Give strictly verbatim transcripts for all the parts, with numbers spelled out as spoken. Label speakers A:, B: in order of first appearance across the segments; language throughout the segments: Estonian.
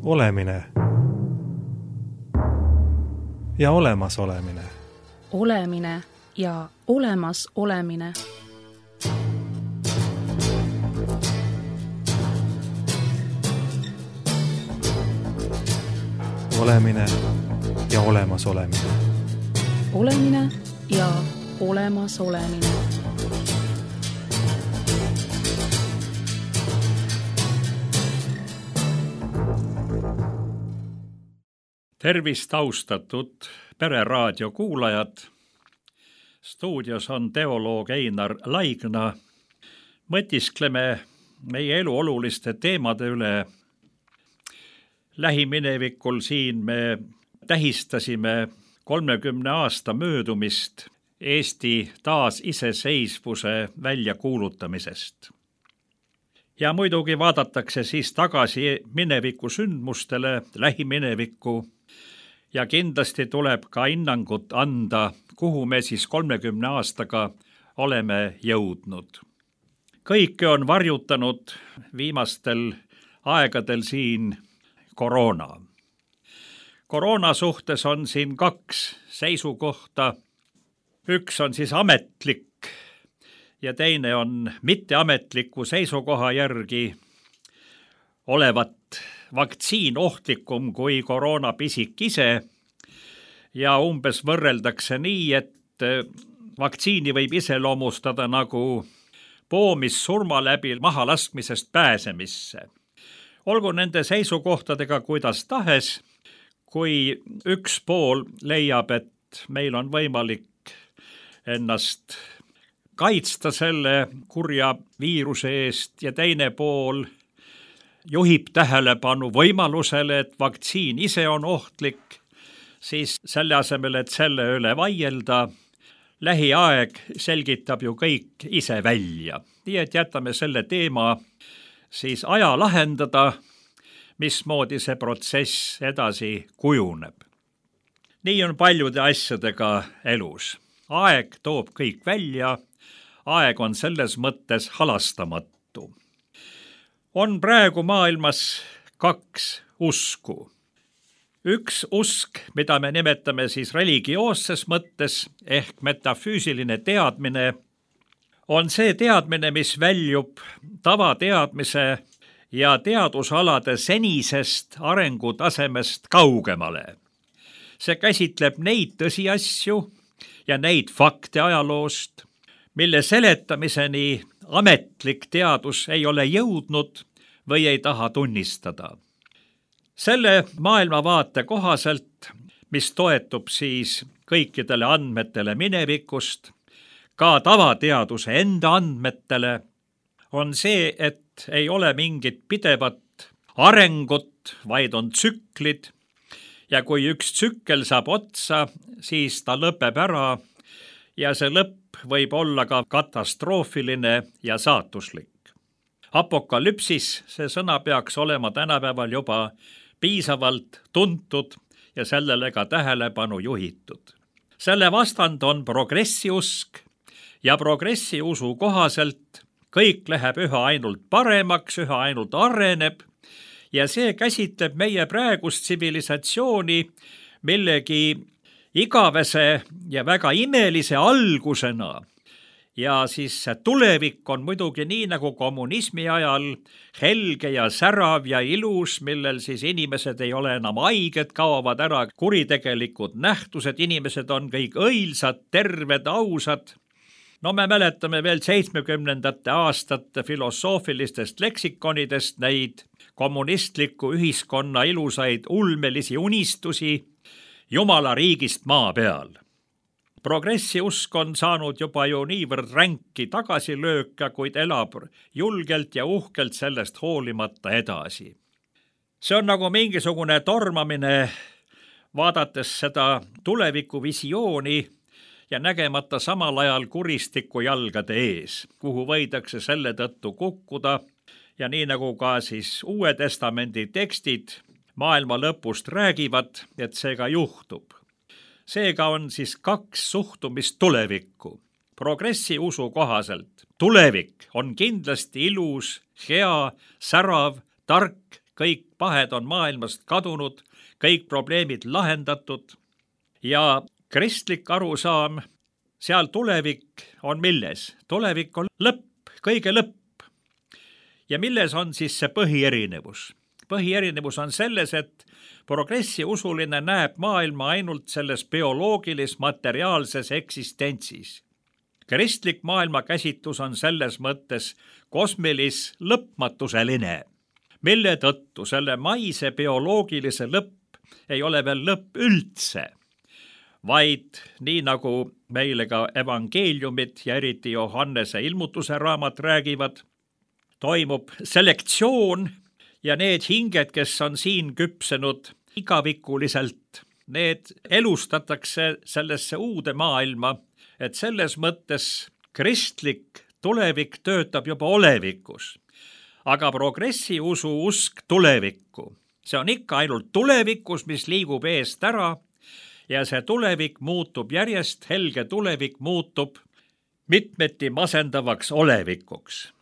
A: Olemine ja olemas olemine.
B: Olemine ja olemas olemine.
A: Olemine ja olemas olemine.
B: Olemine ja olemas olemine.
C: Tervist, austatud Pereraadio kuulajad. Stuudios on teoloog Einar Laigna. Mõtiskleme meie elu oluliste teemade üle. Lähiminevikul siin me tähistasime kolmekümne aasta möödumist Eesti taasiseseisvuse väljakuulutamisest. Ja muidugi vaadatakse siis tagasi mineviku sündmustele, lähiminevikku, ja kindlasti tuleb ka hinnangut anda, kuhu me siis kolmekümne aastaga oleme jõudnud. Kõike on varjutanud viimastel aegadel siin koroona. Koroona suhtes on siin kaks seisukohta. Üks on siis ametlik ja teine on mitteametliku seisukoha järgi olevat vaktsiin ohtlikum kui koroonapisik ise ja umbes võrreldakse nii, et vaktsiini võib iseloomustada nagu poomissurma läbi mahalaskmisest pääsemisse. Olgu nende seisukohtadega kuidas tahes, kui üks pool leiab, et meil on võimalik ennast kaitsta selle kurja viiruse eest ja teine pool juhib tähelepanu võimalusele, et vaktsiin ise on ohtlik, siis selle asemel, et selle üle vaielda, lähiaeg selgitab ju kõik ise välja. Nii et jätame selle teema siis aja lahendada, mismoodi see protsess edasi kujuneb. Nii on paljude asjadega elus. Aeg toob kõik välja, aeg on selles mõttes halastamatu. On praegu maailmas kaks usku. Üks usk, mida me nimetame siis religioosses mõttes ehk metafüüsiline teadmine, on see teadmine, mis väljub tavateadmise ja teadusalade senisest arengutasemest kaugemale. See käsitleb neid tõsiasju ja neid fakte ajaloost, mille seletamiseni ametlik teadus ei ole jõudnud või ei taha tunnistada. Selle maailmavaate kohaselt, mis toetub siis kõikidele andmetele minevikust, ka tavateaduse enda andmetele, on see, et ei ole mingit pidevat arengut, vaid on tsüklid, ja kui üks tsükkel saab otsa, siis ta lõpeb ära ja see lõpp võib olla ka katastroofiline ja saatuslik. Apokalüpsis, see sõna peaks olema tänapäeval juba piisavalt tuntud ja sellele ka tähelepanu juhitud. Selle vastand on progressiusk ja progressiusu kohaselt kõik läheb üha ainult paremaks, üha ainult areneb ja see käsitleb meie praegust tsivilisatsiooni millegi igavese ja väga imelise algusena. Ja siis tulevik on muidugi nii nagu kommunismi ajal helge ja särav ja ilus, millel siis inimesed ei ole enam haiged, kaovad ära kuritegelikud nähtused, inimesed on kõik õilsad, terved, ausad. No me mäletame veel seitsmekümnendate aastate filosoofilistest leksikonidest neid kommunistliku ühiskonna ilusaid ulmelisi unistusi Jumala riigist maa peal. Progressiusk on saanud juba ju niivõrd ränki tagasilööka, kuid elab julgelt ja uhkelt sellest hoolimata edasi. See on nagu mingisugune tormamine, vaadates seda tulevikuvisiooni ja nägemata samal ajal kuristiku jalgade ees, kuhu võidakse selle tõttu kukkuda ja nii nagu ka siis Uue Testamendi tekstid maailma lõpust räägivad, et see ka juhtub. Seega on siis kaks suhtumist tulevikku. Progressi usu kohaselt tulevik on kindlasti ilus, hea, särav, tark, kõik pahed on maailmast kadunud, kõik probleemid lahendatud ja kristlik arusaam, seal tulevik on milles? Tulevik on lõpp, kõige lõpp. Ja milles on siis see põhierinevus? Põhierinevus on selles, et progressi usuline näeb maailma ainult selles bioloogilis-materiaalses eksistentsis. Kristlik maailmakäsitus on selles mõttes kosmilis lõpmatuseline, mille tõttu selle maise bioloogilise lõpp ei ole veel lõpp üldse, vaid nii nagu meile ka evangeeliumid ja eriti Johannese ilmutuse raamat räägivad, toimub selektsioon ja need hinged, kes on siin küpsenud igavikuliselt, need elustatakse sellesse uude maailma, et selles mõttes kristlik tulevik töötab juba olevikus, aga progressi usu usk tulevikku. See on ikka ainult tulevikus, mis liigub eest ära ja see tulevik muutub järjest, helge tulevik muutub mitmeti masendavaks olevikuks.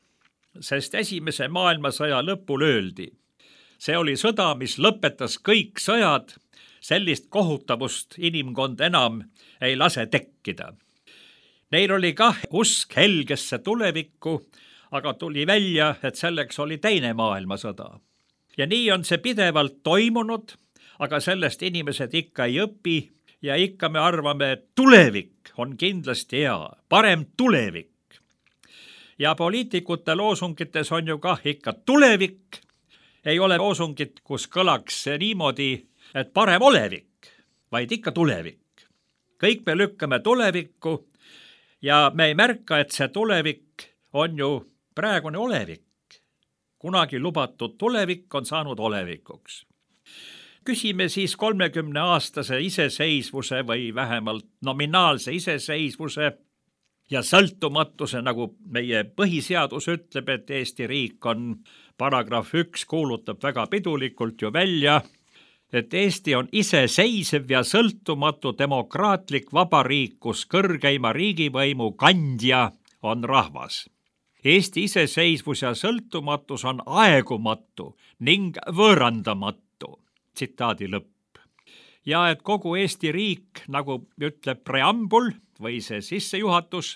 C: Sest esimese maailmasõja lõpul öeldi, see oli sõda, mis lõpetas kõik sõjad, sellist kohutavust inimkond enam ei lase tekkida. Neil oli kah usk helgesse tulevikku, aga tuli välja, et selleks oli teine maailmasõda. Ja nii on see pidevalt toimunud, aga sellest inimesed ikka ei õpi ja ikka me arvame, et tulevik on kindlasti hea, parem tulevik. Ja poliitikute loosungites on ju kah ikka tulevik, ei ole loosungit, kus kõlaks niimoodi, et parem olevik, vaid ikka tulevik. Kõik me lükkame tulevikku ja me ei märka, et see tulevik on ju praegune olevik. Kunagi lubatud tulevik on saanud olevikuks. Küsime siis kolmekümne aastase iseseisvuse või vähemalt nominaalse iseseisvuse ja sõltumatuse, nagu meie põhiseadus ütleb, et Eesti riik on paragrahv üks kuulutab väga pidulikult ju välja, et Eesti on iseseisev ja sõltumatu demokraatlik vabariik, kus kõrgeima riigivõimu kandja on rahvas. Eesti iseseisvus ja sõltumatus on aegumatu ning võõrandamatu, tsitaadi lõpp. Ja et kogu Eesti riik, nagu ütleb preambul või see sissejuhatus,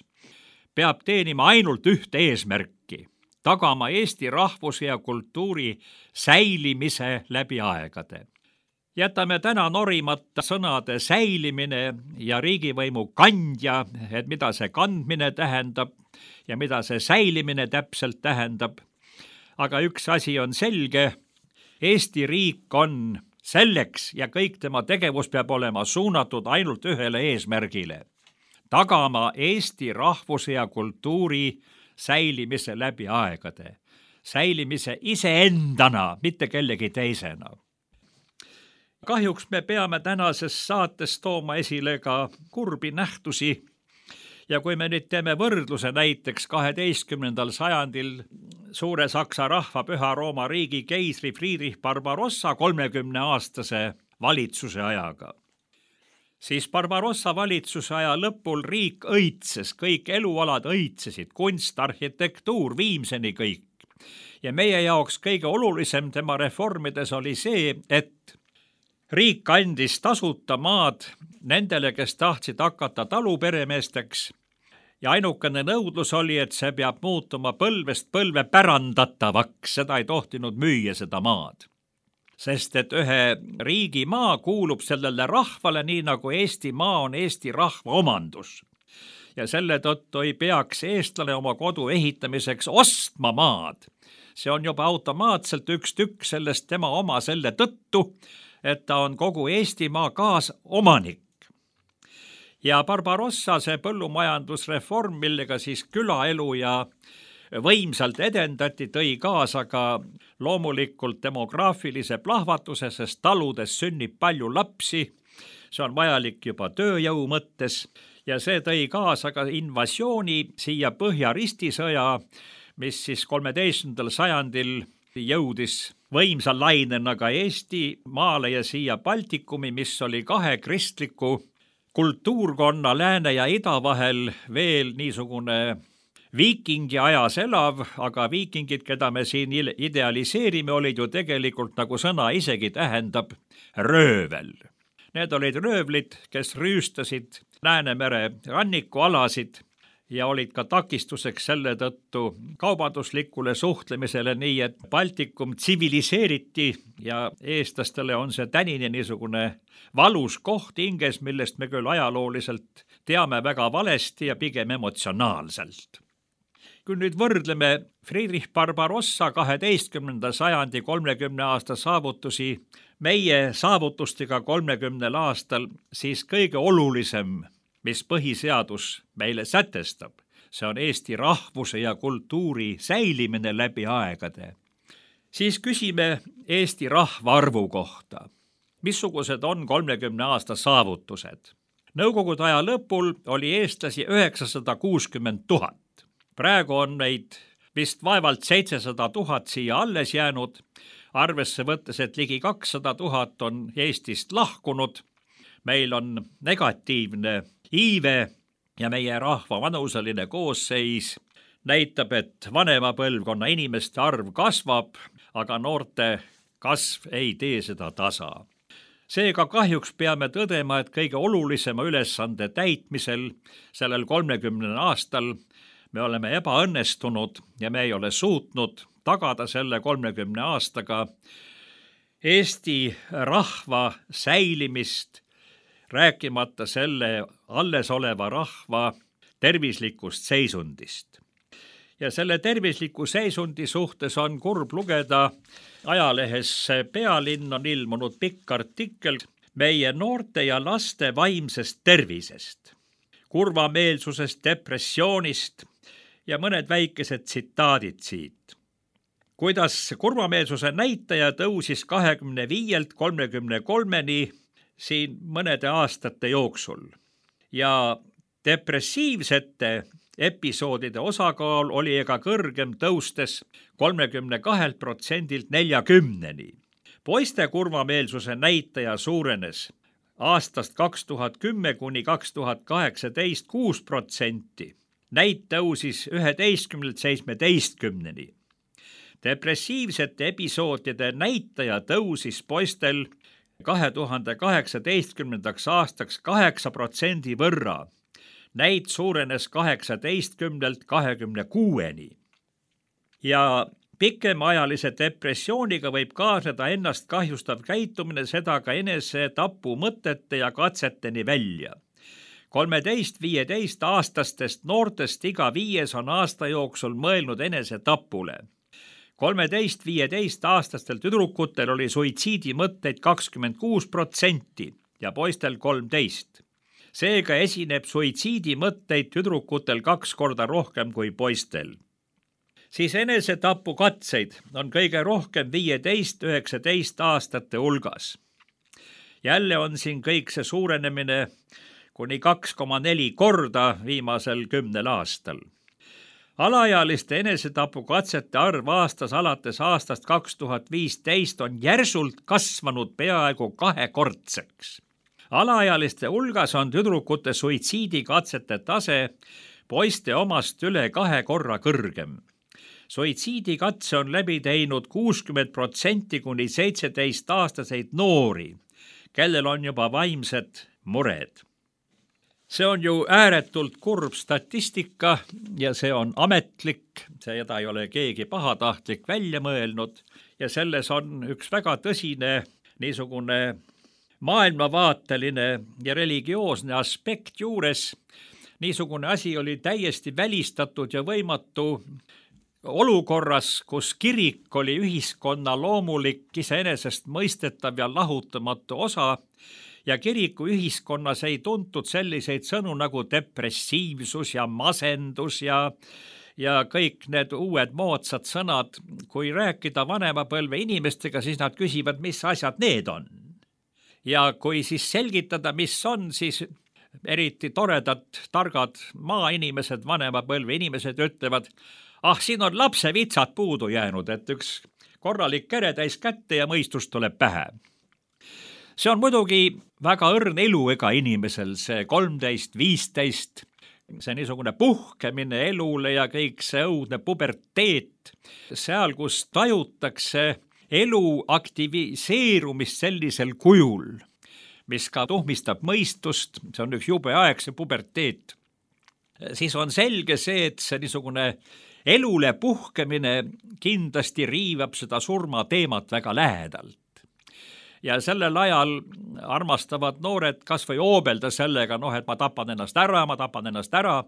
C: peab teenima ainult ühte eesmärki, tagama Eesti rahvuse ja kultuuri säilimise läbi aegade. Jätame täna norimata sõnade säilimine ja riigivõimu kandja, et mida see kandmine tähendab ja mida see säilimine täpselt tähendab. Aga üks asi on selge, Eesti riik on selleks ja kõik tema tegevus peab olema suunatud ainult ühele eesmärgile. Tagama Eesti rahvuse ja kultuuri säilimise läbi aegade. Säilimise iseendana, mitte kellegi teisena. Kahjuks me peame tänases saates tooma esile ka kurbi nähtusi ja kui me nüüd teeme võrdluse näiteks kaheteistkümnendal sajandil suure Saksa rahva Püha Rooma riigi keisri Friedrich Barbarossa kolmekümne aastase valitsuse ajaga, siis Barbarossa valitsuse aja lõpul riik õitses, kõik elualad õitsesid, kunst, arhitektuur, viimseni kõik. Ja meie jaoks kõige olulisem tema reformides oli see, et riik andis tasuta maad nendele, kes tahtsid hakata taluperemeesteks ja ainukene nõudlus oli, et see peab muutuma põlvest põlve pärandatavaks, seda ei tohtinud müüa seda maad. Sest et ühe riigi maa kuulub sellele rahvale nii nagu Eesti maa on Eesti rahva omandus. Ja selle tõttu ei peaks eestlane oma kodu ehitamiseks ostma maad. See on juba automaatselt üks tükk sellest tema oma selle tõttu, et ta on kogu Eestimaa kaasomanik. Ja Barbarossa see põllumajandusreform, millega siis külaelu ja võimsalt edendati, tõi kaasa ka loomulikult demograafilise plahvatuse, sest taludes sünnib palju lapsi, see on vajalik juba tööjõu mõttes ja see tõi kaasa ka invasiooni siia Põhja-Ristisõja, mis siis kolmeteistkümnendal sajandil jõudis võimsa lainena ka Eesti maale ja siia Baltikumi, mis oli kahe kristliku kultuurkonna lääne ja ida vahel veel niisugune viikingi ajas elav, aga viikingid, keda me siin idealiseerime, olid ju tegelikult, nagu sõna isegi tähendab, röövel. Need olid röövlid, kes rüüstasid Läänemere rannikualasid ja olid ka takistuseks selle tõttu kaubanduslikule suhtlemisele, nii et Baltikum tsiviliseeriti ja eestlastele on see tänini niisugune valus koht hinges, millest me küll ajalooliselt teame väga valesti ja pigem emotsionaalselt. Kui nüüd võrdleme Friedrich Barbarossa kaheteistkümnenda sajandi kolmekümne aasta saavutusi meie saavutustega kolmekümnel aastal, siis kõige olulisem, mis põhiseadus meile sätestab, see on Eesti rahvuse ja kultuuri säilimine läbi aegade. Siis küsime Eesti rahvaarvu kohta. Missugused on kolmekümne aasta saavutused? Nõukogude aja lõpul oli eestlasi üheksasada kuuskümmend tuhat. Praegu on meid vist vaevalt seitsesada tuhat siia alles jäänud, arvesse võttes, et ligi kakssada tuhat on Eestist lahkunud. Meil on negatiivne iive ja meie rahva vanuseline koosseis näitab, et vanema põlvkonna inimeste arv kasvab, aga noorte kasv ei tee seda tasa. Seega kahjuks peame tõdema, et kõige olulisema ülesande täitmisel sellel kolmekümnel aastal me oleme ebaõnnestunud ja me ei ole suutnud tagada selle kolmekümne aastaga Eesti rahva säilimist, rääkimata selle alles oleva rahva tervislikust seisundist. Ja selle tervisliku seisundi suhtes on kurb lugeda ajalehes Pealinn on ilmunud pikk artikkel meie noorte ja laste vaimsest tervisest, kurvameelsusest, depressioonist ja mõned väikesed tsitaadid siit. Kuidas kurvameelsuse näitaja tõusis kahekümne viielt kolmekümne kolmeni siin mõnede aastate jooksul ja depressiivsete episoodide osakaal oli ega kõrgem tõustes kolmekümne kahelt protsendilt neljakümneni. Poiste kurvameelsuse näitaja suurenes aastast kaks tuhat kümme kuni kaks tuhat kaheksateist kuus protsenti. Näit tõusis üheteistkümnelt seitsmeteistkümneni. Depressiivsete episoodide näitaja tõusis poistel kahe tuhande kaheksateistkümnendaks aastaks kaheksa protsendi võrra. Näit suurenes kaheksateistkümnelt kahekümne kuueni. Ja pikemaajalise depressiooniga võib kaasneda ennast kahjustav käitumine, seda ka enese tapu mõtete ja katseteni välja. kolmeteist viieteist aastastest noortest iga viies on aasta jooksul mõelnud enese tapule. kolmeteist viieteist aastastel tüdrukutel oli suitsiidimõtteid kakskümmend kuus protsenti ja poistel kolmteist. Seega esineb suitsiidimõtteid tüdrukutel kaks korda rohkem kui poistel. Siis enesetapu katseid on kõige rohkem viieteist üheksateist aastate hulgas. Jälle on siin kõik see suurenemine kuni kaks koma neli korda viimasel kümnel aastal. Alaealiste enesetapu katsete arv aastas alates aastast kaks tuhat viisteist on järsult kasvanud peaaegu kahekordseks. Alaealiste hulgas on tüdrukute suitsiidikatsete tase poiste omast üle kahe korra kõrgem. Suitsiidikatse on läbi teinud kuuskümmend protsenti kuni seitseteist aastaseid noori, kellel on juba vaimsed mured. See on ju ääretult kurb statistika ja see on ametlik, seda ei ole keegi pahatahtlik välja mõelnud ja selles on üks väga tõsine niisugune maailmavaateline ja religioosne aspekt juures. Niisugune asi oli täiesti välistatud ja võimatu olukorras, kus kirik oli ühiskonna loomulik, iseenesest mõistetav ja lahutamatu osa ja kiriku ühiskonnas ei tuntud selliseid sõnu nagu depressiivsus ja masendus ja, ja kõik need uued moodsad sõnad. Kui rääkida vanemapõlve inimestega, siis nad küsivad, mis asjad need on. Ja kui siis selgitada, mis on, siis eriti toredad, targad maainimesed, vanemapõlve inimesed ütlevad, ah, siin on lapsevitsad puudu jäänud, et üks korralik kere täis kätte ja mõistus tuleb pähe. See on muidugi väga õrn elu ega inimesel, see kolmteist viisteist, see niisugune puhkemine elule ja kõik see õudne puberteet, seal, kus tajutakse elu aktiviseerumist sellisel kujul, mis ka tuhmistab mõistust, see on üks jube aeg, see puberteet, siis on selge see, et see niisugune elule puhkemine kindlasti riivab seda surmateemat väga lähedalt. Ja sellel ajal armastavad noored kas või oobelda sellega, noh, et ma tapan ennast ära, ma tapan ennast ära.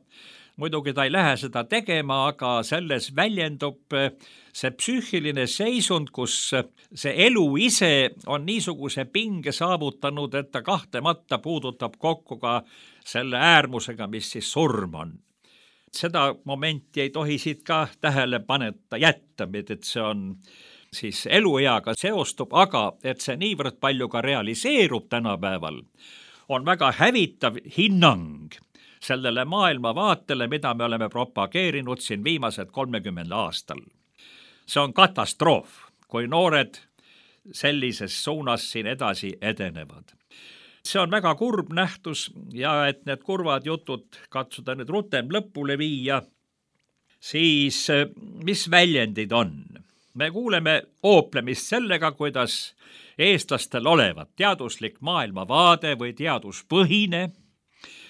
C: Muidugi ta ei lähe seda tegema, aga selles väljendub see psüühiline seisund, kus see elu ise on niisuguse pinge saavutanud, et ta kahtlemata puudutab kokku ka selle äärmusega, mis siis surm on. Seda momenti ei tohi siit ka tähele paneta jätta, et see on siis elueaga seostub, aga et see niivõrd palju ka realiseerub tänapäeval, on väga hävitav hinnang sellele maailmavaatele, mida me oleme propageerinud siin viimased kolmekümnel aastal. See on katastroof, kui noored sellises suunas siin edasi edenevad. See on väga kurb nähtus ja et need kurvad jutud katsuda nüüd rutem lõpule viia, siis mis väljendid on? Me kuuleme ooplemist sellega, kuidas eestlastel olevat teaduslik maailmavaade või teaduspõhine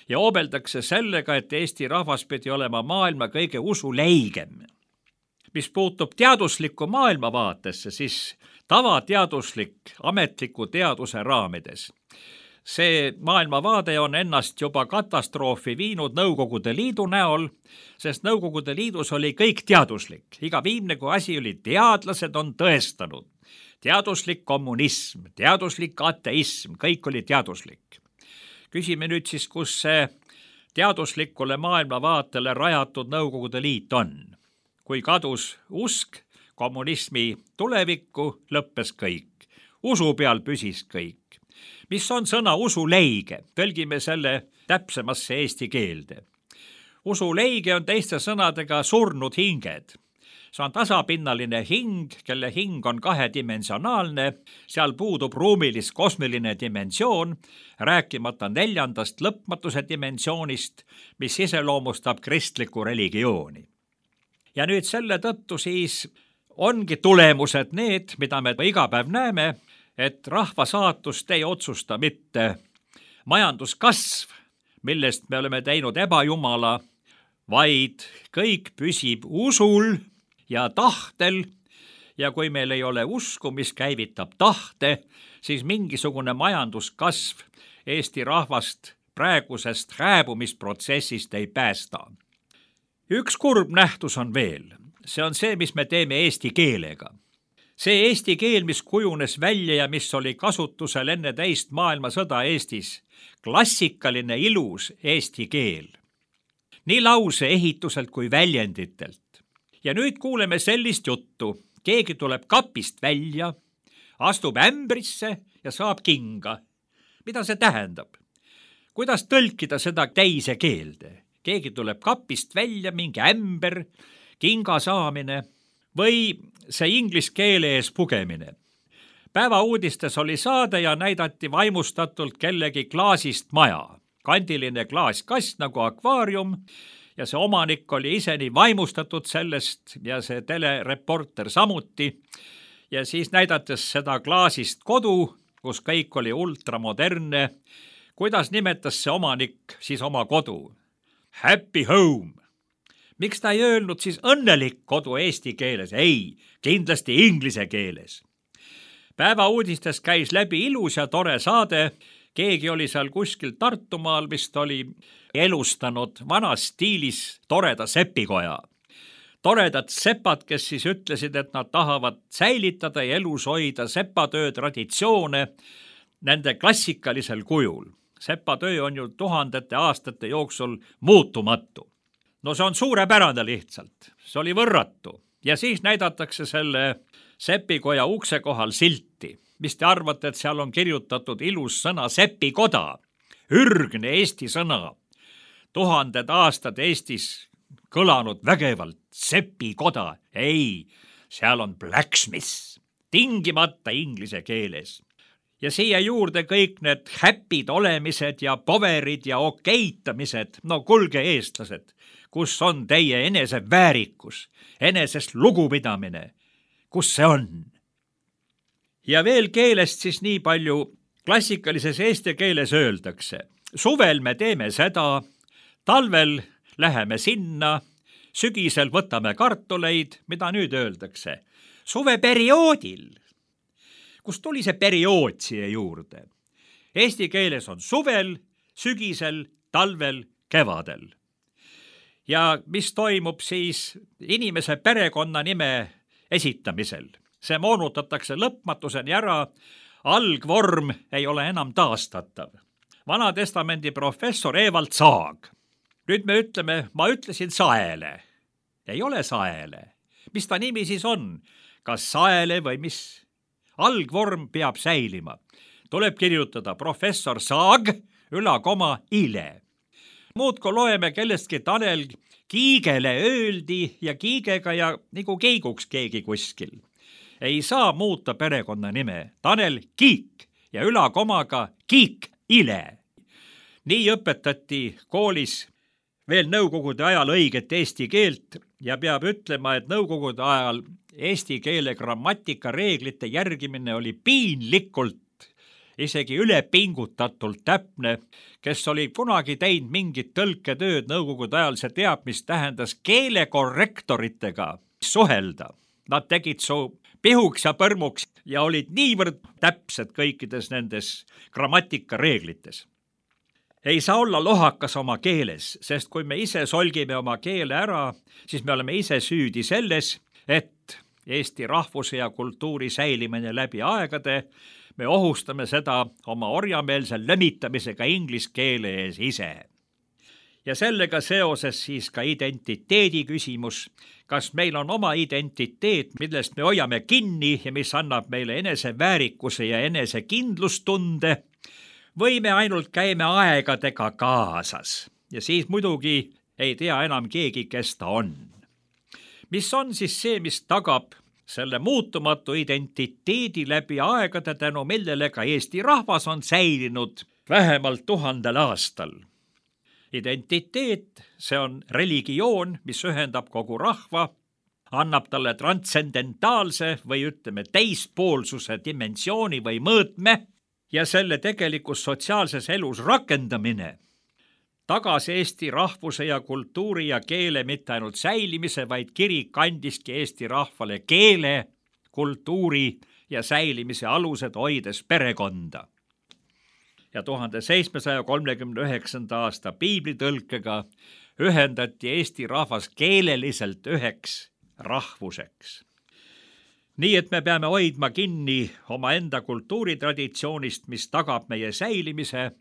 C: ja oobeldakse sellega, et Eesti rahvas pidi olema maailma kõige usuleigem. Mis puutub teaduslikku maailmavaatesse, siis tavateaduslik ametliku teaduse raamides. See maailmavaade on ennast juba katastroofi viinud Nõukogude Liidu näol, sest Nõukogude Liidus oli kõik teaduslik. Iga viimne kui asi oli teadlased on tõestanud. Teaduslik kommunism, teaduslik ateism, kõik oli teaduslik. Küsime nüüd siis, kus see teaduslikule maailmavaatele rajatud Nõukogude Liit on. Kui kadus usk kommunismi tulevikku, lõppes kõik. Usu peal püsis kõik. Mis on sõna usuleige? Tõlgime selle täpsemasse eesti keelde. Usuleige on teiste sõnadega surnud hinged. See on tasapinnaline hing, kelle hing on kahedimensionaalne, seal puudub ruumilis kosmiline dimensioon, rääkimata neljandast lõpmatuse dimensioonist, mis iseloomustab kristlikku religiooni. Ja nüüd selle tõttu siis ongi tulemused need, mida me iga päev näeme, et rahva saatust ei otsusta mitte majanduskasv, millest me oleme teinud ebajumala, vaid kõik püsib usul ja tahtel ja kui meil ei ole usku, mis käivitab tahte, siis mingisugune majanduskasv Eesti rahvast praegusest hääbumisprotsessist ei päästa. Üks kurb nähtus on veel, see on see, mis me teeme eesti keelega. See eesti keel, mis kujunes välja ja mis oli kasutusel enne teist maailmasõda Eestis, klassikaline ilus eesti keel. Nii lause ehituselt kui väljenditelt. Ja nüüd kuuleme sellist juttu. Keegi tuleb kapist välja, astub ämbrisse ja saab kinga. Mida see tähendab? Kuidas tõlkida seda teise keelde? Keegi tuleb kapist välja, mingi ämber, kinga saamine või see inglis keele ees pugemine. Päeva uudistes oli saade ja näidati vaimustatult kellegi klaasist maja. Kandiline klaaskast nagu akvaarium ja see omanik oli ise nii vaimustatud sellest ja see telereporter samuti. Ja siis näidates seda klaasist kodu, kus kõik oli ultramodernne, kuidas nimetas see omanik siis oma kodu? Happy home. Miks ta ei öelnud siis õnnelik kodu eesti keeles? Ei, kindlasti inglise keeles. Päeva uudistes käis läbi ilus ja tore saade. Keegi oli seal kuskil Tartumaal, vist oli elustanud vanas stiilis toreda sepikoja. Toredad sepad, kes siis ütlesid, et nad tahavad säilitada ja elus hoida sepatöö traditsioone nende klassikalisel kujul. Sepatöö on ju tuhandete aastate jooksul muutumatu. No see on suurepärane lihtsalt, see oli võrratu ja siis näidatakse selle sepikoja ukse kohal silti. Mis te arvate, et seal on kirjutatud ilus sõna sepikoda, ürgne eesti sõna, tuhanded aastad Eestis kõlanud vägevalt sepikoda, ei, seal on blacksmith, tingimata inglise keeles. ja siia juurde kõik need häpid olemised ja poverid ja okeitamised. No kuulge, eestlased, kus on teie eneseväärikus, enesest lugupidamine? Kus see on? Ja veel keelest siis nii palju. Klassikalises eesti keeles öeldakse, suvel me teeme seda, talvel läheme sinna, sügisel võtame kartuleid. Mida nüüd öeldakse? Suveperioodil. Kust tuli see periood siia juurde? Eesti keeles on suvel, sügisel, talvel, kevadel. Ja mis toimub siis inimese perekonnanime esitamisel? See moonutatakse lõpmatuseni ära, algvorm ei ole enam taastatav. Vanatestamendi professor Evald Saag. Nüüd me ütleme, ma ütlesin Saele. Ei ole Saele. Mis ta nimi siis on? Kas Saele või mis? Algvorm peab säilima. Tuleb kirjutada professor Saag, ülakoma ile. Muudko loeme kellestki Tanel Kiigele öeldi ja Kiigega ja nagu keiguks keegi kuskil. Ei saa muuta perekonna nime. Tanel Kiik ja ülakomaga Kiik ile. Nii õpetati koolis veel nõukogude ajal õiget eesti keelt ja peab ütlema, et nõukogude ajal eesti keele grammatika reeglite järgimine oli piinlikult, isegi ülepingutatult täpne. Kes oli kunagi teinud mingit tõlketööd nõukogude ajal, see teab, mis tähendas keelekorrektoritega suhelda. Nad tegid su pihuks ja põrmuks ja olid niivõrd täpsed kõikides nendes grammatika reeglites. Ei saa olla lohakas oma keeles, sest kui me ise solgime oma keele ära, siis me oleme ise süüdi selles, et Eesti rahvuse ja kultuuri säilimine läbi aegade, me ohustame seda oma orjameelse lömitamisega inglise keele ees ise. Ja sellega seoses siis ka identiteedi küsimus, kas meil on oma identiteet, millest me hoiame kinni ja mis annab meile eneseväärikuse ja enesekindlustunde, või me ainult käime aegadega kaasas ja siis muidugi ei tea enam keegi, kes ta on. Mis on siis see, mis tagab selle muutumatu identiteedi läbi aegade, tänu millele ka Eesti rahvas on säilinud vähemalt tuhandel aastal? Identiteet, see on religioon, mis ühendab kogu rahva, annab talle transcendentaalse või ütleme teispoolsuse dimensiooni või mõõtme ja selle tegelikus sotsiaalses elus rakendamine tagas Eesti rahvuse ja kultuuri ja keele mitte ainult säilimise, vaid kirik andiski Eesti rahvale keele, kultuuri ja säilimise alused hoides perekonda. Ja tuhande seitsmesaja kolmekümne üheksanda aasta piiblitõlkega ühendati Eesti rahvas keeleliselt üheks rahvuseks. Nii et me peame hoidma kinni omaenda kultuuritraditsioonist, mis tagab meie säilimise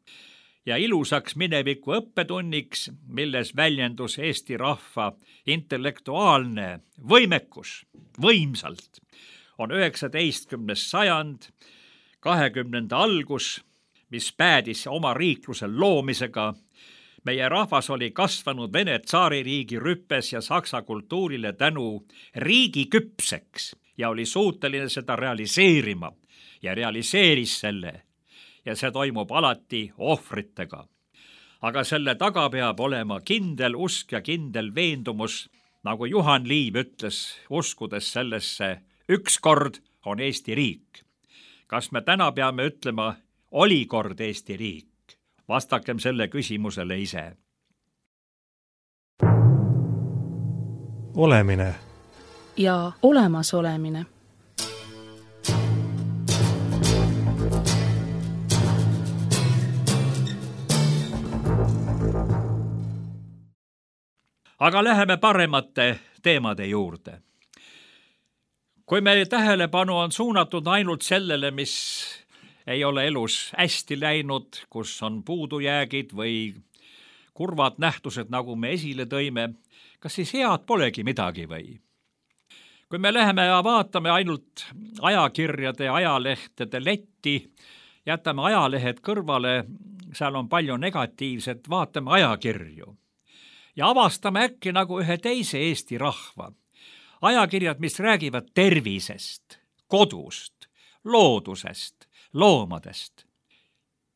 C: ja ilusaks mineviku õppetunniks, milles väljendus Eesti rahva intellektuaalne võimekus võimsalt, on üheksateistkümnes sajand, kahekümnenda algus, mis päädis oma riikluse loomisega. Meie rahvas oli kasvanud Vene tsaaririigi rüppes ja saksa kultuurile tänu riigi küpseks ja oli suuteline seda realiseerima ja realiseeris selle. Ja see toimub alati ohvritega. Aga selle taga peab olema kindel usk ja kindel veendumus, nagu Juhan Liiv ütles, uskudes sellesse, ükskord on Eesti riik. Kas me täna peame ütlema, oli kord Eesti riik? Vastakem selle küsimusele ise.
A: Olemine
B: ja olemasolemine.
C: Aga läheme paremate teemade juurde. Kui meie tähelepanu on suunatud ainult sellele, mis ei ole elus hästi läinud, kus on puudujäägid või kurvad nähtused, nagu me esile tõime, kas siis head polegi midagi või? Kui me läheme ja vaatame ainult ajakirjade, ajalehtede letti, jätame ajalehed kõrvale, seal on palju negatiivset, vaatame ajakirju. Ja avastame äkki nagu ühe teise Eesti rahva. Ajakirjad, mis räägivad tervisest, kodust, loodusest, loomadest.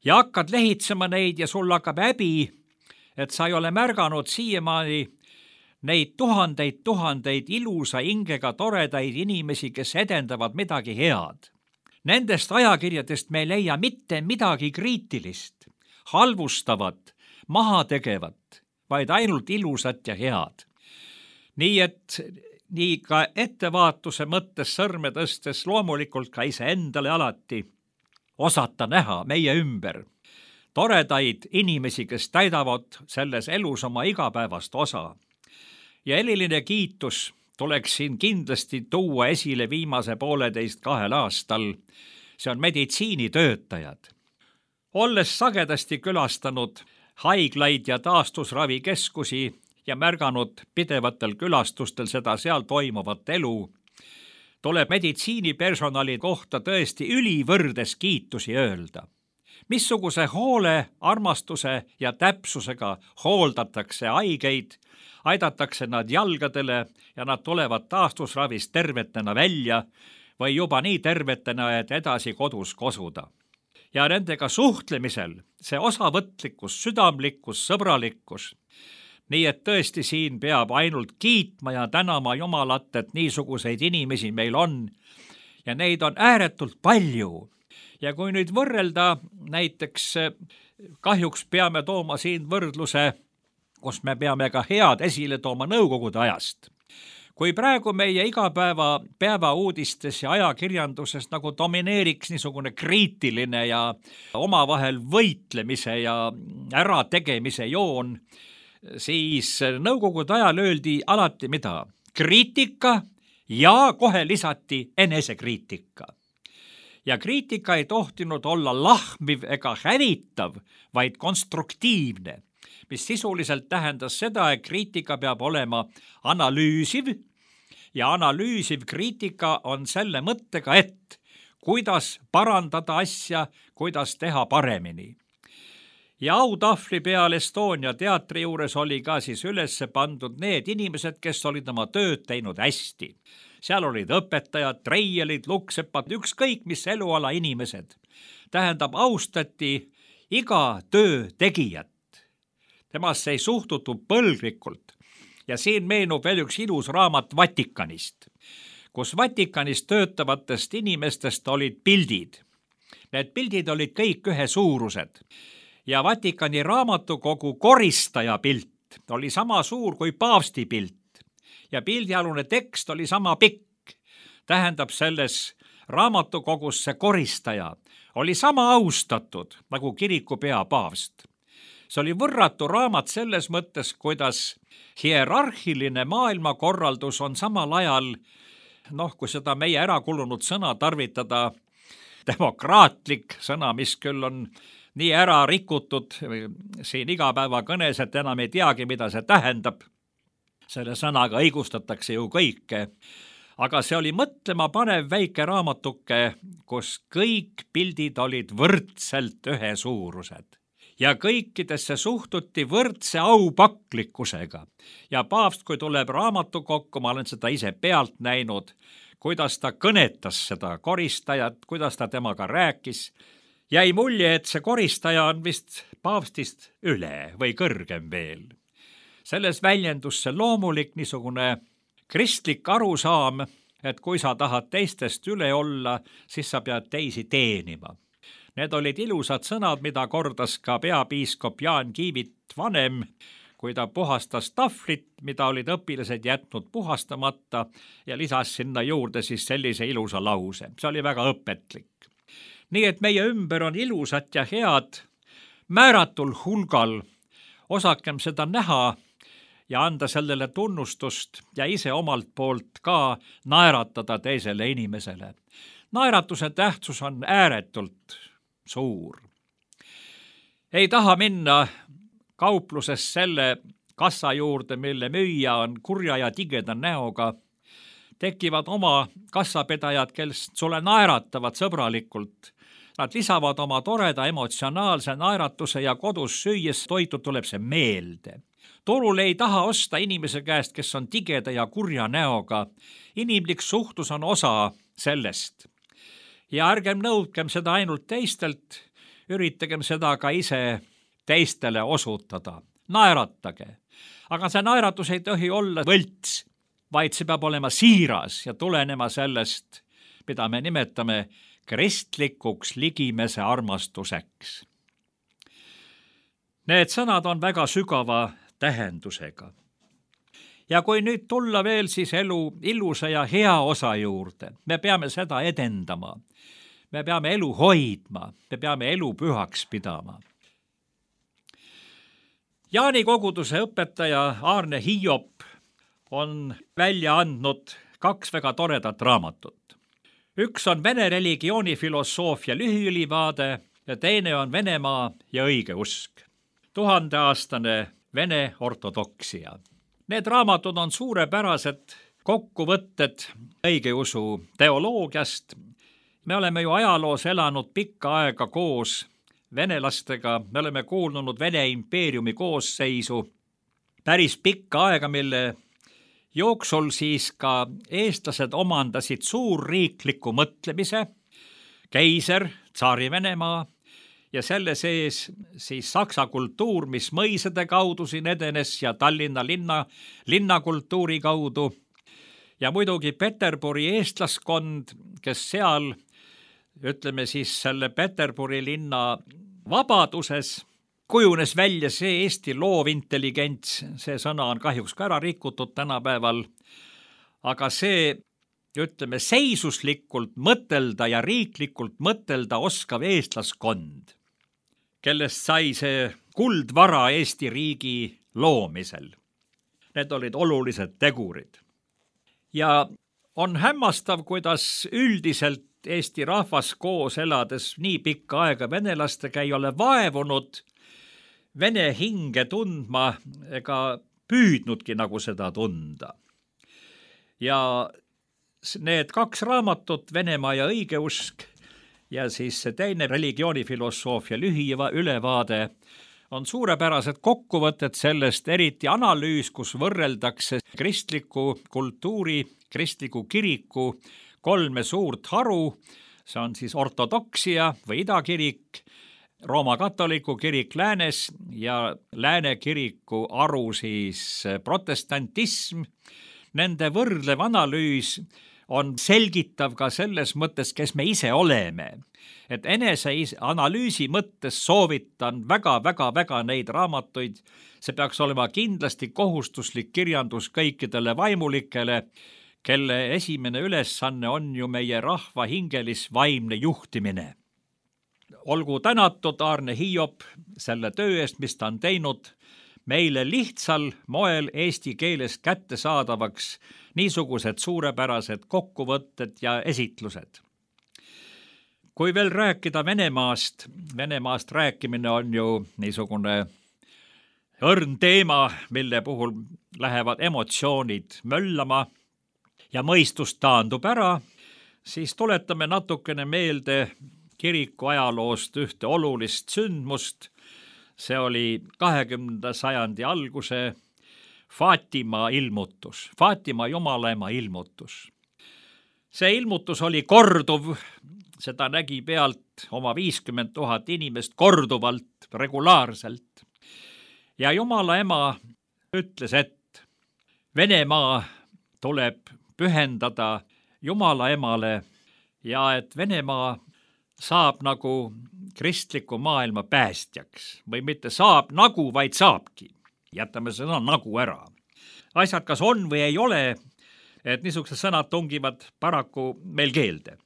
C: Ja hakkad lehitsema neid ja sul hakkab häbi, et sa ei ole märganud siiamaani neid tuhandeid, tuhandeid ilusa hingega toredaid inimesi, kes edendavad midagi head. Nendest ajakirjadest me ei leia mitte midagi kriitilist, halvustavat, maha tegevat, vaid ainult ilusat ja head. Nii et nii ka ettevaatuse mõttes sõrme tõstes loomulikult ka iseendale alati osata näha meie ümber toredaid inimesi, kes täidavad selles elus oma igapäevast osa. Ja eriline kiitus tuleks siin kindlasti tuua esile viimase pooleteist kahel aastal. See on meditsiinitöötajad. Olles sagedasti külastanud haiglaid ja taastusravikeskusi ja märganud pidevatel külastustel seda seal toimuvat elu, tuleb meditsiinipersonali kohta tõesti ülivõrdes kiitusi öelda. Missuguse hoole, armastuse ja täpsusega hooldatakse haigeid, aidatakse nad jalgadele ja nad tulevad taastusravist tervetena välja või juba nii tervetena, et edasi kodus kosuda. Ja nendega suhtlemisel see osavõtlikkus, südamlikkus, sõbralikkus. Nii et tõesti siin peab ainult kiitma ja tänama Jumalat, et niisuguseid inimesi meil on ja neid on ääretult palju. Ja kui nüüd võrrelda, näiteks kahjuks peame tooma siin võrdluse, kus me peame ka head esile tooma nõukogude ajast. Kui praegu meie igapäeva päevauudistes ja ajakirjanduses nagu domineeriks niisugune kriitiline ja omavahel võitlemise ja ärategemise joon, siis nõukogude ajal öeldi alati mida? Kriitika ja kohe lisati enesekriitika. Ja kriitika ei tohtinud olla lahmiv ega hävitav, vaid konstruktiivne, mis sisuliselt tähendas seda, et kriitika peab olema analüüsiv ja analüüsiv kriitika on selle mõttega, et kuidas parandada asja, kuidas teha paremini. Ja autahvli peal Estonia teatri juures oli ka siis üles pandud need inimesed, kes olid oma tööd teinud hästi. Seal olid õpetajad, treielid, luksepad, ükskõik mis eluala inimesed. Tähendab, austati iga töö tegijat. Temasse ei suhtutud põlglikult. Ja siin meenub veel üks ilus raamat Vatikanist, kus Vatikanis töötavatest inimestest olid pildid. Need pildid olid kõik ühe suurused. Ja Vatikani raamatukogu koristaja pilt oli sama suur kui paavsti pilt. Ja pildialune tekst oli sama pikk. Tähendab, selles raamatukogus see koristaja oli sama austatud nagu kiriku peapaavst. See oli võrratu raamat selles mõttes, kuidas hierarhiline maailmakorraldus on samal ajal, noh, kui seda meie ära kulunud sõna tarvitada, demokraatlik sõna, mis küll on nii ära rikutud siin igapäeva kõnes, et enam ei teagi, mida see tähendab. Selle sõnaga õigustatakse ju kõike, aga see oli mõtlema panev väike raamatuke, kus kõik pildid olid võrdselt ühesuurused. Ja kõikidesse suhtuti võrdse aupaklikkusega. Ja paavst, kui tuleb raamatukokku, ma olen seda ise pealt näinud, kuidas ta kõnetas seda koristajat, kuidas ta temaga rääkis, jäi mulje, et see koristaja on vist paavstist üle või kõrgem veel. Selles väljendus see loomulik niisugune kristlik arusaam, et kui sa tahad teistest üle olla, siis sa pead teisi teenima. Need olid ilusad sõnad, mida kordas ka peapiiskop Jaan Kiivit vanem, kui ta puhastas tahvlit, mida olid õpilased jätnud puhastamata ja lisas sinna juurde siis sellise ilusa lause. See oli väga õpetlik. Nii et meie ümber on ilusat ja head, määratul hulgal, osakem seda näha ja anda sellele tunnustust ja ise omalt poolt ka naeratada teisele inimesele. Naeratuse tähtsus on ääretult suur. Ei taha minna kaupluses selle kassa juurde, mille müüja on kurja ja tigeda näoga. Tekivad oma kassapedajad, kes sulle naeratavad sõbralikult. Nad lisavad oma toreda emotsionaalse naeratuse ja kodus süües toitu tuleb see meelde. Turul ei taha osta inimese käest, kes on tigeda ja kurja näoga. Inimlik suhtlus on osa sellest. ja ärgem nõudkem seda ainult teistelt, üritagem seda ka ise teistele osutada. Naeratage. Aga see naeratus ei tohi olla võlts, vaid see peab olema siiras ja tulenema sellest, mida me nimetame kristlikuks ligimese armastuseks. Need sõnad on väga sügava tähendusega. Ja kui nüüd tulla veel siis elu ilusa ja hea osa juurde, me peame seda edendama. Me peame elu hoidma, me peame elu pühaks pidama. Jaani koguduse õpetaja Aarne Hiiop on välja andnud kaks väga toredat raamatut. Üks on Vene religioonifilosoofia lühiülivaade ja teine on Venemaa ja õigeusk. Tuhandeaastane Vene ortodoksia. Need raamatud on suurepärased kokkuvõtted õigeusu teoloogiast. Me oleme ju ajaloos elanud pikka aega koos venelastega, me oleme kuulnud Vene impeeriumi koosseisu päris pikka aega, mille jooksul siis ka eestlased omandasid suurriikliku mõtlemise, keiser, tsaari Venemaa ja selle sees siis saksa kultuur, mis mõisade kaudu siin edenes ja Tallinna linna, linnakultuuri kaudu ja muidugi Peterburi eestlaskond, kes seal, ütleme siis selle Peterburi linna vabaduses kujunes välja see Eesti loovintelligents, see sõna on kahjuks ka ära rikutud tänapäeval, aga see, ütleme, seisuslikult mõtelda ja riiklikult mõtelda oskav eestlaskond, kellest sai see kuldvara Eesti riigi loomisel. Need olid olulised tegurid. Ja on hämmastav, kuidas üldiselt Eesti rahvas koos elades nii pikka aega venelastega ei ole vaevunud vene hinge tundma ega püüdnudki nagu seda tunda. Ja need kaks raamatut, Venemaa ja õigeusk ja siis see teine religioonifilosoofia lühiülevaade on suurepärased kokkuvõtted sellest, eriti analüüs, kus võrreldakse kristliku kultuuri, kristliku kiriku kolme suurt haru, see on siis ortodoksia või idakirik, Rooma katoliku kirik läänes ja lääne kiriku haru siis protestantism. Nende võrdlev analüüs on selgitav ka selles mõttes, kes me ise oleme. Et enese analüüsi mõttes soovitan väga-väga-väga neid raamatuid. See peaks olema kindlasti kohustuslik kirjandus kõikidele vaimulikele, kelle esimene ülesanne on ju meie rahva hingelis-vaimne juhtimine. Olgu tänatud Aarne Hiiop selle töö eest, mis ta on teinud meile lihtsal moel eesti keeles kättesaadavaks niisugused suurepärased kokkuvõtted ja esitlused. Kui veel rääkida Venemaast, Venemaast rääkimine on ju niisugune õrn teema, mille puhul lähevad emotsioonid möllama ja mõistus taandub ära, siis tuletame natukene meelde kiriku ajaloost ühte olulist sündmust. See oli kahekümnenda sajandi alguse Faatima ilmutus, Faatima Jumalaema ilmutus. See ilmutus oli korduv, seda nägi pealt oma viiskümmend tuhat inimest korduvalt, regulaarselt. Ja Jumalaema ütles, et Venemaa tuleb pühendada Jumalaemale ja et Venemaa saab nagu kristliku maailma päästjaks või mitte saab nagu, vaid saabki. Jätame sõna nagu ära. Asjad kas on või ei ole, et niisugused sõnad tungivad paraku meil keelde.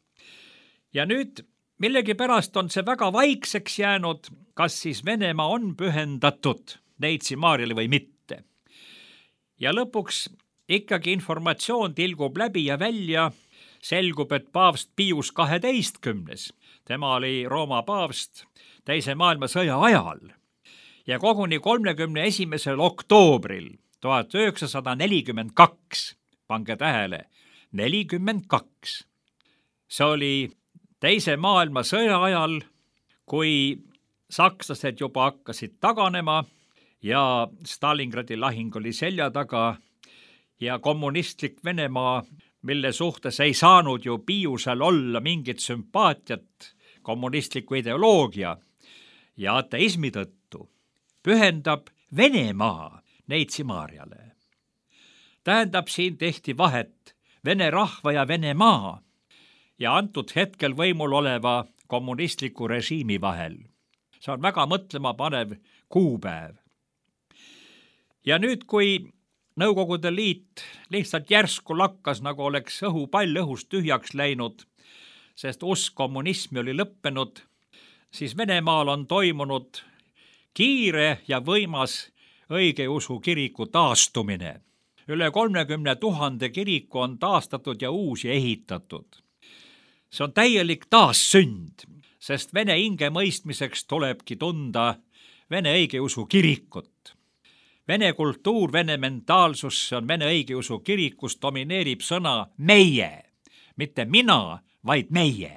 C: Ja nüüd millegipärast on see väga vaikseks jäänud, kas siis Venemaa on pühendatud Neitsi Maarjale või mitte. Ja lõpuks ikkagi informatsioon tilgub läbi ja välja, selgub, et paavst Pius kaheteistkümnes, tema oli Rooma paavst teise maailmasõja ajal ja koguni kolmekümne esimesel oktoobril tuhat üheksasada nelikümmend kaks, pange tähele, nelikümmend kaks. See oli teise maailmasõja ajal, kui sakslased juba hakkasid taganema ja Stalingradi lahing oli selja taga ja kommunistlik Venemaa mille suhtes ei saanud ju Piiusel olla mingit sümpaatiat kommunistliku ideoloogia ja ateismi tõttu, pühendab Venemaa Neitsi Maarjale. Tähendab, siin tehti vahet vene rahva ja Venemaa ja antud hetkel võimul oleva kommunistliku režiimi vahel. See on väga mõtlema panev kuupäev. Ja nüüd, kui Nõukogude Liit lihtsalt järsku lakkas, nagu oleks õhupall õhust tühjaks läinud, sest usk kommunismi oli lõppenud, siis Venemaal on toimunud kiire ja võimas õigeusu kiriku taastumine. Üle kolmekümne tuhande kiriku on taastatud ja uusi ehitatud. See on täielik taassünd, sest vene hinge mõistmiseks tulebki tunda vene õigeusu kirikut. Vene kultuur, vene mentaalsus, see on vene õigeusu kirikus, domineerib sõna meie, mitte mina, vaid meie.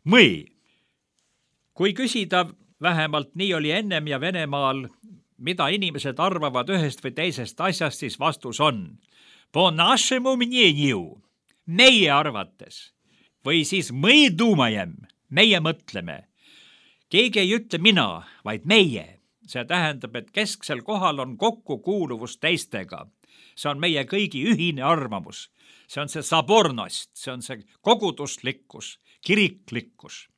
C: Mõi. Kui küsida, vähemalt nii oli ennem ja Venemaal, mida inimesed arvavad ühest või teisest asjast, siis vastus on po našemu мнению, meie arvates, või siis мы думаем, meie mõtleme. Keegi ei ütle mina, vaid meie. See tähendab, et kesksel kohal on kokkukuuluvus teistega. See on meie kõigi ühine arvamus. See on see sabornost, see on see koguduslikkus, kiriklikkus.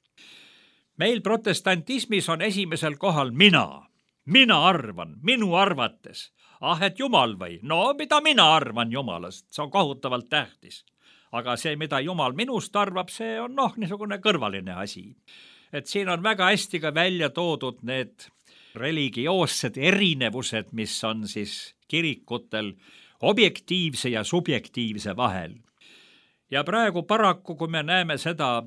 C: Meil protestantismis on esimesel kohal mina. Mina arvan, minu arvates. Ah, et Jumal või? No, mida mina arvan Jumalast? See on kohutavalt tähtis. Aga see, mida Jumal minust arvab, see on noh, niisugune kõrvaline asi. Et siin on väga hästi ka välja toodud need religioossed erinevused, mis on siis kirikutel objektiivse ja subjektiivse vahel. Ja praegu paraku, kui me näeme seda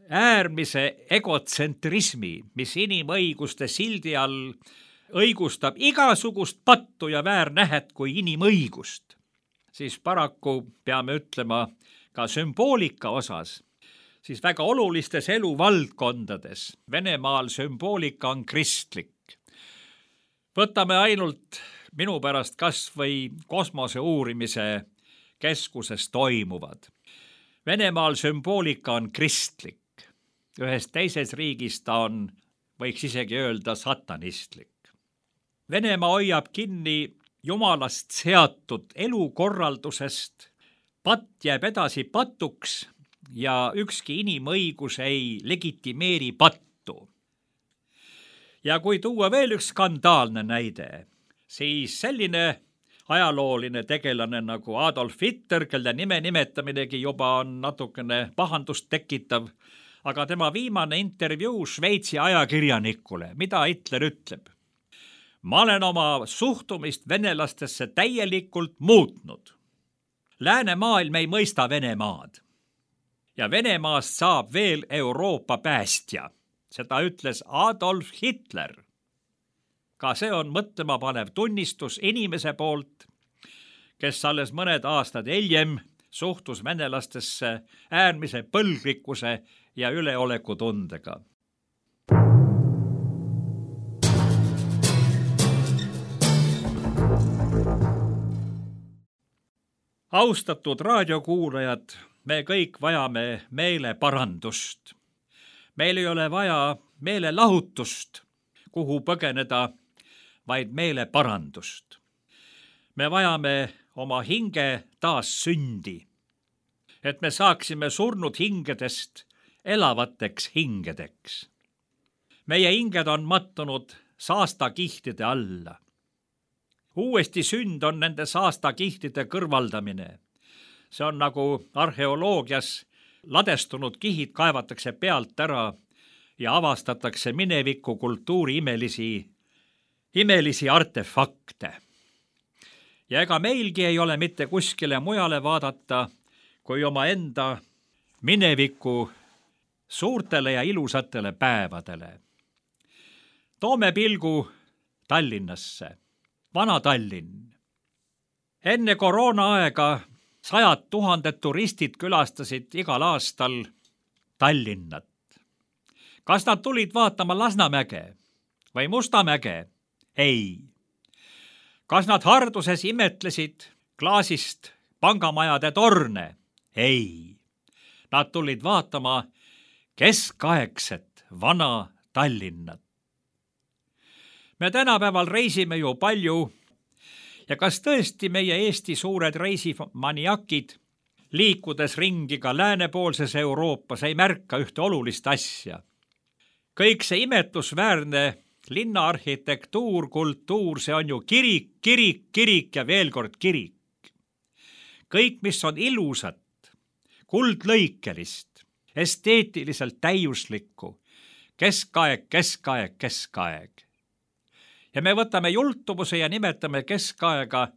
C: äärmise egotsentrismi, mis inimõiguste sildi all õigustab igasugust pattu ja väärnähet kui inimõigust, siis paraku peame ütlema ka sümboolika osas, siis väga olulistes eluvaldkondades Venemaal sümboolika on kristlik. Võtame ainult minu pärast kas või kosmose uurimise keskuses toimuvad. Venemaal sümboolika on kristlik. Ühes teises riigis ta on, võiks isegi öelda, satanistlik. Venemaa hoiab kinni Jumalast seatud elukorraldusest, patt jääb edasi patuks ja ükski inimõigus ei legitimeeri pattu. Ja kui tuua veel üks skandaalne näide, siis selline ajalooline tegelane nagu Adolf Hitler, kelle nime nimetaminegi juba on natukene pahandust tekitav, aga tema viimane intervjuu Šveitsi ajakirjanikule, mida Hitler ütleb? Ma olen oma suhtumist venelastesse täielikult muutnud. Läänemaailm ei mõista Venemaad. Ja Venemaast saab veel Euroopa päästja. Seda ütles Adolf Hitler. Ka see on mõtlema panev tunnistus inimese poolt, kes alles mõned aastad hiljem suhtus venelastesse äärmise põlglikkuse ja üleoleku tundega. Austatud raadiokuulajad, me kõik vajame meeleparandust. Meil ei ole vaja meelelahutust, kuhu põgeneda, vaid meeleparandust. Me vajame oma hinge taas sündi, et me saaksime surnud hingedest elavateks hingedeks. Meie hinged on mattunud saastakihtide alla. Uuesti sünd on nende saastakihtide kõrvaldamine. See on nagu arheoloogias ladestunud kihid kaevatakse pealt ära ja avastatakse mineviku kultuuri imelisi, imelisi artefakte. Ja ega meilgi ei ole mitte kuskile mujale vaadata, kui oma enda mineviku suurtele ja ilusatele päevadele. Toome pilgu Tallinnasse. Vana Tallinn. Enne koroonaaega sajad tuhanded turistid külastasid igal aastal Tallinnat. Kas nad tulid vaatama Lasnamäge või Mustamäge? Ei. Kas nad harduses imetlesid klaasist pangamajade torne? ei, nad tulid vaatama keskaegset vana Tallinnat. Me tänapäeval reisime ju palju ja kas tõesti meie Eesti suured reisimaniakid, liikudes ringi ka läänepoolses Euroopas, ei märka ühte olulist asja? Kõik see imetlusväärne linnaarhitektuur, kultuur, see on ju kirik, kirik, kirik ja veel kord kirik. Kõik, mis on ilusat, kuldlõikelist, esteetiliselt täiuslikku, keskaeg, keskaeg, keskaeg. Ja me võtame jultumuse ja nimetame keskaega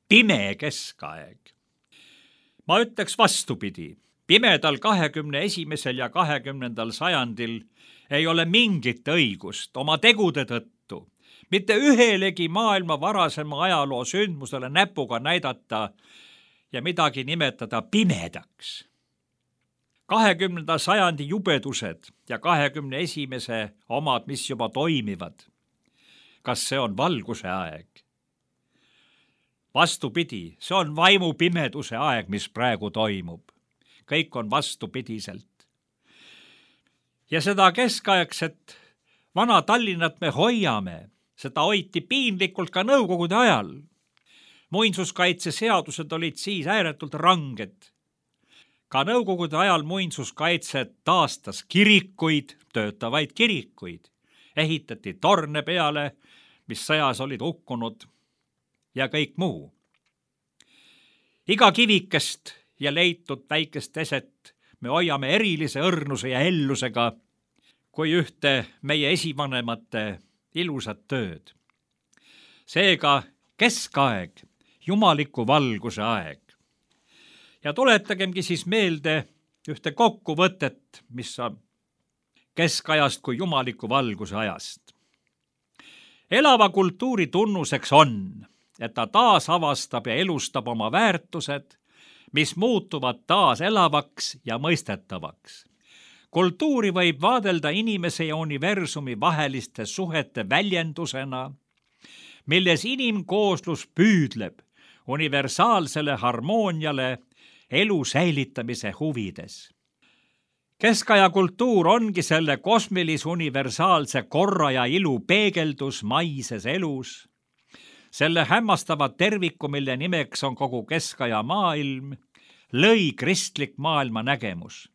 C: pime keskaeg. Ma ütleks vastupidi, pimedal kahekümne esimesel ja kahekümnendal sajandil ei ole mingit õigust oma tegude tõttu mitte ühelegi maailma varasema ajaloo sündmusele näpuga näidata ja midagi nimetada pimedaks. kahekümnenda sajandi jubedused ja kahekümne esimese omad, mis juba toimivad. Kas see on valguse aeg? Vastupidi, see on vaimupimeduse aeg, mis praegu toimub. Kõik on vastupidiselt. Ja seda keskaegset vana Tallinnat me hoiame. Seda hoiti piinlikult ka nõukogude ajal. Muinsuskaitseseadused olid siis ääretult ranged. Ka nõukogude ajal muinsuskaitse taastas kirikuid, töötavaid kirikuid. Ehitati torne peale, mis sõjas olid hukkunud ja kõik muu. Iga kivikest ja leitud väikest eset me hoiame erilise õrnuse ja ellusega kui ühte meie esivanemate ilusat tööd. Seega keskaeg, jumaliku valguse aeg. Ja tuletagemgi siis meelde ühte kokkuvõtet, mis on keskajast kui jumaliku valguse ajast. Elava kultuuri tunnuseks on, et ta taas avastab ja elustab oma väärtused, mis muutuvad taas elavaks ja mõistetavaks. Kultuuri võib vaadelda inimese ja universumi vaheliste suhete väljendusena, milles inimkooslus püüdleb universaalsele harmooniale elu säilitamise huvides. Keskaja kultuur ongi selle kosmilis-universaalse korra ja ilu peegeldus maises elus, selle hämmastava terviku, mille nimeks on kogu keskaja maailm, lõi kristlik maailma nägemus.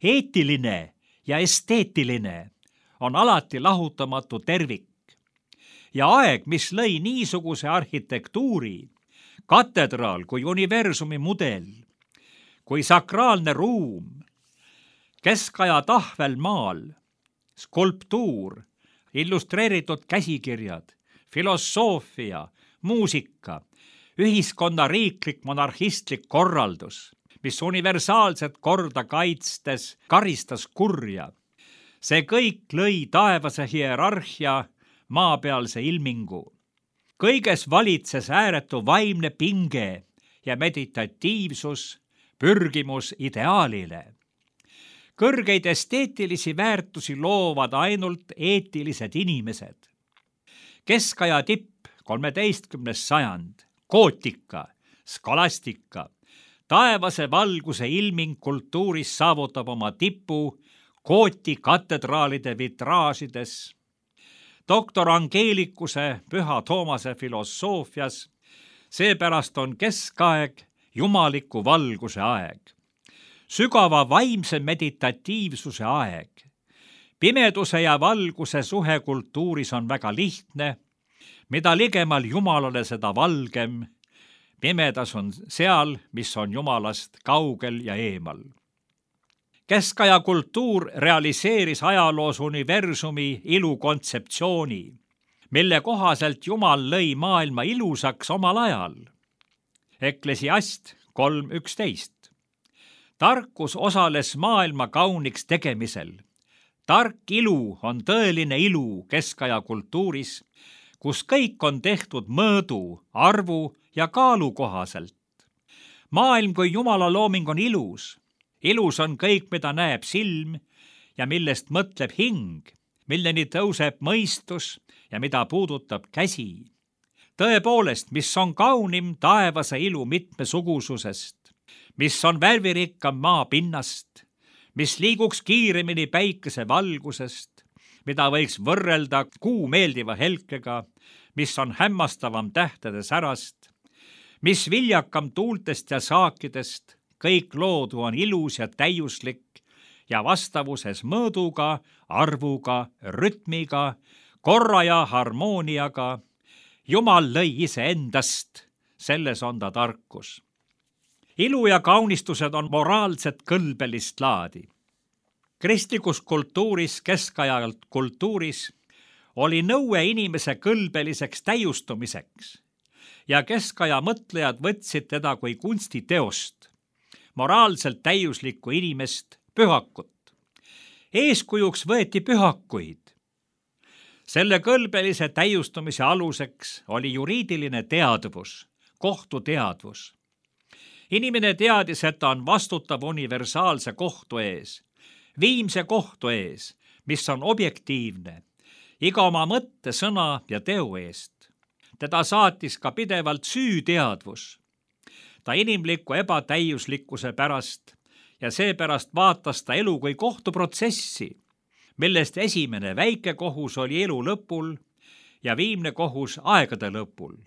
C: Eetiline ja esteetiline on alati lahutamatu tervik ja aeg, mis lõi niisuguse arhitektuuri, katedraal kui universumi mudel, kui sakraalne ruum, keskaja tahvelmaal, skulptuur, illustreeritud käsikirjad, filosoofia, muusika, ühiskonna riiklik monarhistlik korraldus, mis universaalset korda kaitstes karistas kurja. See kõik lõi taevase hierarhia maapealse ilmingu. Kõiges valitses ääretu vaimne pinge ja meditatiivsus, pürgimus ideaalile. Kõrgeid esteetilisi väärtusi loovad ainult eetilised inimesed. Keskaja tipp, kolmeteistkümnes sajand, gootika, skolastika, taevase valguse ilming kultuuris saavutab oma tipu gooti katedraalide vitraažides, doktor Angeelikuse Püha Toomase filosoofias, seepärast on keskaeg jumaliku valguse aeg, sügava vaimse meditatiivsuse aeg. Pimeduse ja valguse suhe kultuuris on väga lihtne, mida ligemal Jumalale, seda valgem. Pimedas on seal, mis on Jumalast kaugel ja eemal. Keskaja kultuur realiseeris ajaloos universumi ilukontseptsiooni, mille kohaselt Jumal lõi maailma ilusaks omal ajal. Eklesiast kolm üksteist. Tarkus osales maailma kauniks tegemisel. Tark ilu on tõeline ilu keskaja kultuuris, kus kõik on tehtud mõõdu, arvu ja kaalu kohaselt. Maailm kui Jumala looming on ilus. Ilus on kõik, mida näeb silm ja millest mõtleb hing, milleni tõuseb mõistus ja mida puudutab käsi. Tõepoolest, mis on kaunim taevase ilu mitmesugususest, mis on värvirikkam maa pinnast, mis liiguks kiiremini päikese valgusest, mida võiks võrrelda kuu meeldiva helkega, mis on hämmastavam tähtede särast, mis viljakam tuultest ja saakidest, kõik loodu on ilus ja täiuslik ja vastavuses mõõduga, arvuga, rütmiga, korra ja harmooniaga. Jumal lõi iseendast, selles on ta tarkus. Ilu ja kaunistused on moraalset kõlbelist laadi. Kristlikus kultuuris, keskajalt kultuuris, oli nõue inimese kõlbeliseks täiustumiseks ja keskaja mõtlejad võtsid teda kui kunstiteost, moraalselt täiuslikku inimest, pühakut. Eeskujuks võeti pühakuid. Selle kõlbelise täiustumise aluseks oli juriidiline teadvus, kohtuteadvus. Inimene teadis, et ta on vastutav universaalse kohtu ees, viimse kohtu ees, mis on objektiivne, iga oma mõtte, sõna ja teo eest. Teda saatis ka pidevalt süüteadvus. Ta inimliku ebatäiuslikkuse pärast ja seepärast vaatas ta elu kui kohtuprotsessi, millest esimene väike kohus oli elu lõpul ja viimne kohus aegade lõpul.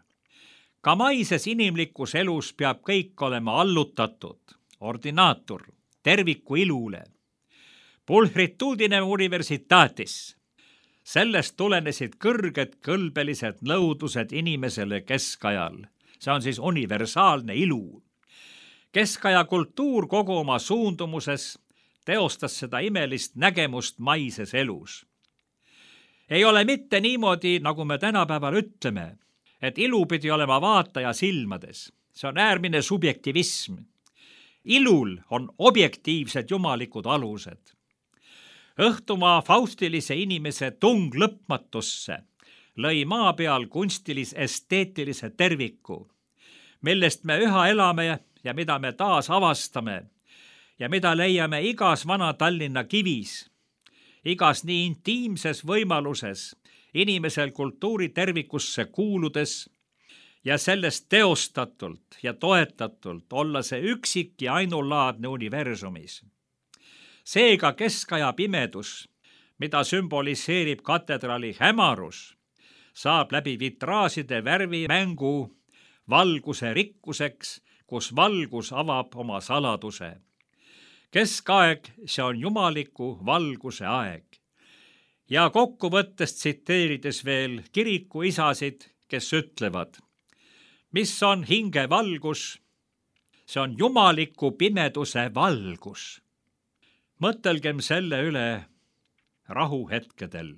C: Ka maises inimlikus elus peab kõik olema allutatud, ordinaator, terviku ilule. Pulchritudine universitatis. Sellest tulenesid kõrged kõlbelised nõudlused inimesele keskajal. See on siis universaalne ilu. Keskaja kultuur kogu oma suundumuses teostas seda imelist nägemust maises elus. Ei ole mitte niimoodi, nagu me tänapäeval ütleme, et ilu pidi olema vaataja silmades. See on äärmine subjektivism. Ilul on objektiivsed jumalikud alused. Õhtumaa faustilise inimese tung lõpmatusse lõi maa peal kunstilis esteetilise terviku, millest me üha elame ja mida me taas avastame ja mida leiame igas vana Tallinna kivis, igas nii intiimses võimaluses inimesel kultuuri tervikusse kuuludes ja sellest teostatult ja toetatult olla see üksik ja ainulaadne universumis. Seega keskaja pimedus, mida sümboliseerib katedraali hämarus, saab läbi vitraaside värvimängu valguse rikkuseks, kus valgus avab oma saladuse. Keskaeg, see on jumaliku valguse aeg. Ja kokkuvõttest tsiteerides veel kiriku isasid, kes ütlevad, mis on hinge valgus, see on jumaliku pimeduse valgus. Mõtelgem selle üle rahuhetkedel.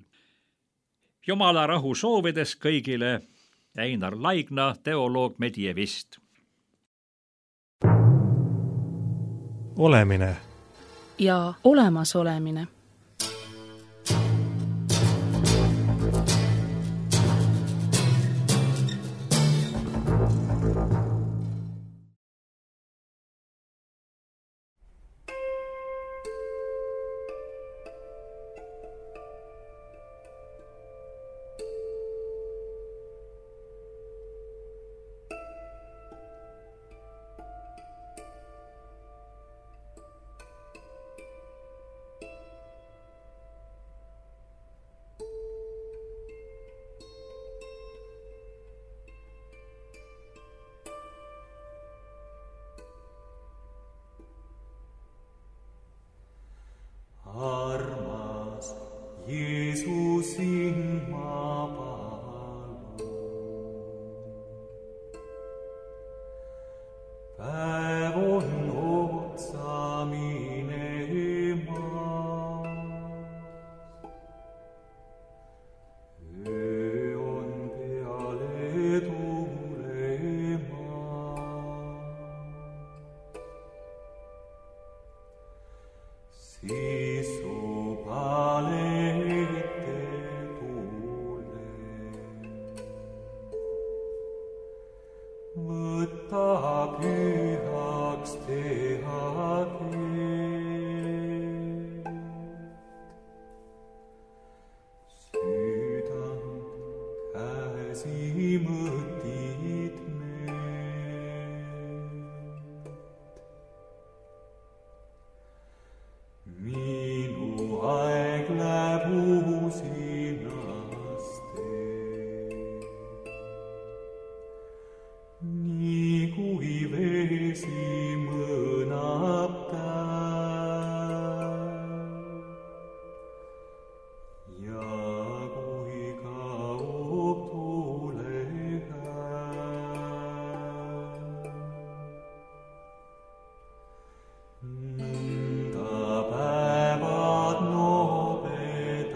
C: Jumala rahu soovides kõigile Einar Laigna, teoloog medievist.
A: Olemine
B: ja olemasolemine.
D: Armas Jeesusin ma palun, päev on otsa minemas, öö on peale tulemas. Siis pühaks teha teed. Südant käsi mõtid need. minu aeg läheb uusinaste. Nii kui vesi mõnab päev ja kui kaob tuulehääl, nõnda päevad nobedaste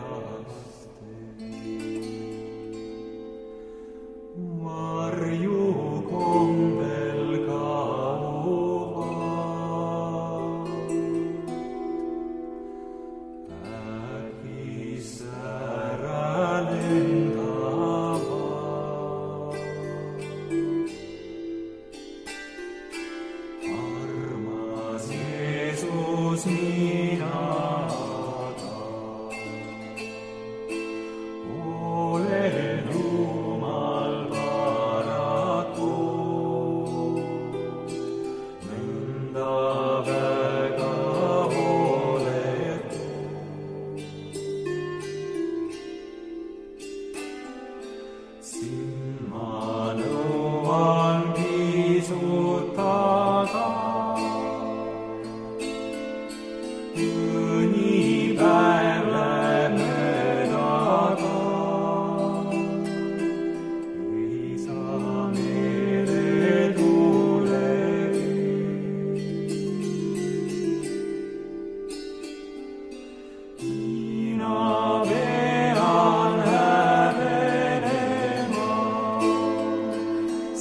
D: varju kombel kaovad, äkis ära lendavad. Armas Jeesus, mina olen Jumal paraku, nõnda väga hooletu. Sind ma nõuan pisut taga, mõni päev läheb möödaga, ei saa meele tulegi. Mina pean häbenema,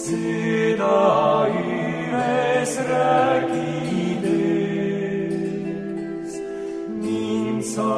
D: seda üles rääkides, mind sa